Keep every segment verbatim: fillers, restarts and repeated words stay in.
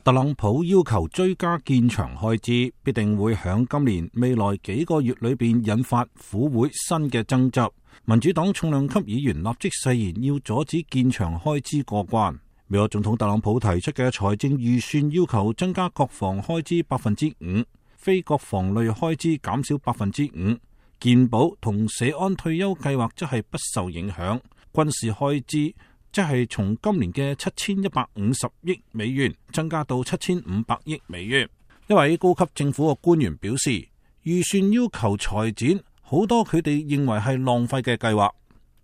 特朗普要求追加建牆開支，必定會響今年未來幾個月裏邊引發府會新嘅爭執。民主黨重量級議員立即誓言要阻止建牆開支過關。美國總統特朗普提出嘅財政預算要求增加國防開支百分之五，非國防類開支減少百分之五，健保同社安退休計劃則係不受影響，軍事開支即係從今年嘅七千一百五十億美元增加到七千五百億美元。一位高級政府嘅官員表示，預算要求裁剪好多佢哋認為係浪費嘅計劃。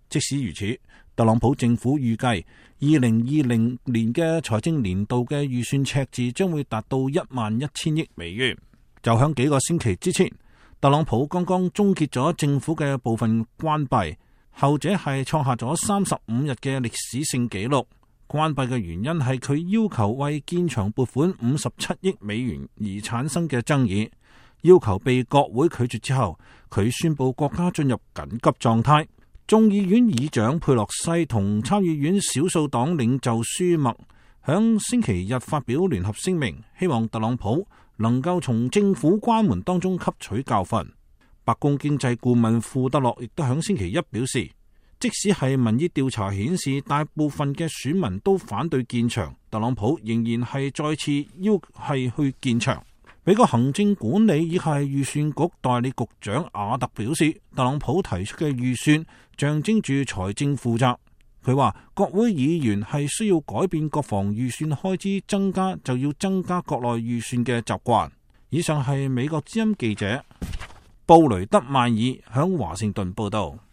即使如此，特朗普政府預計二零二零年嘅財政年度嘅預算赤字將會達到一萬一千億美元。就響幾個星期之前，特朗普剛剛終結咗政府嘅部分關閉。後者係創下咗三十五日嘅歷史性紀錄。關閉嘅原因係佢要求為建牆撥款五十七億美元而產生嘅爭議，要求被國會拒絕之後，佢宣布國家進入緊急狀態。眾議院議長佩洛西同參議院少數黨領袖舒默響星期日發表聯合聲明，希望特朗普能夠從政府關門當中吸取教訓。白宮經濟顧問庫德洛亦都響星期一表示，即使係民意調查顯示大部分嘅選民都反對建牆，特朗普仍然係再次要係去建牆。美國行政管理亦係預算局代理局長亞特表示，特朗普提出嘅預算象徵住財政負責。佢話國會議員係需要改變國防預算開支增加就要增加國內預算嘅習慣。以上係美國之音記者布雷德邁爾響華盛頓報道。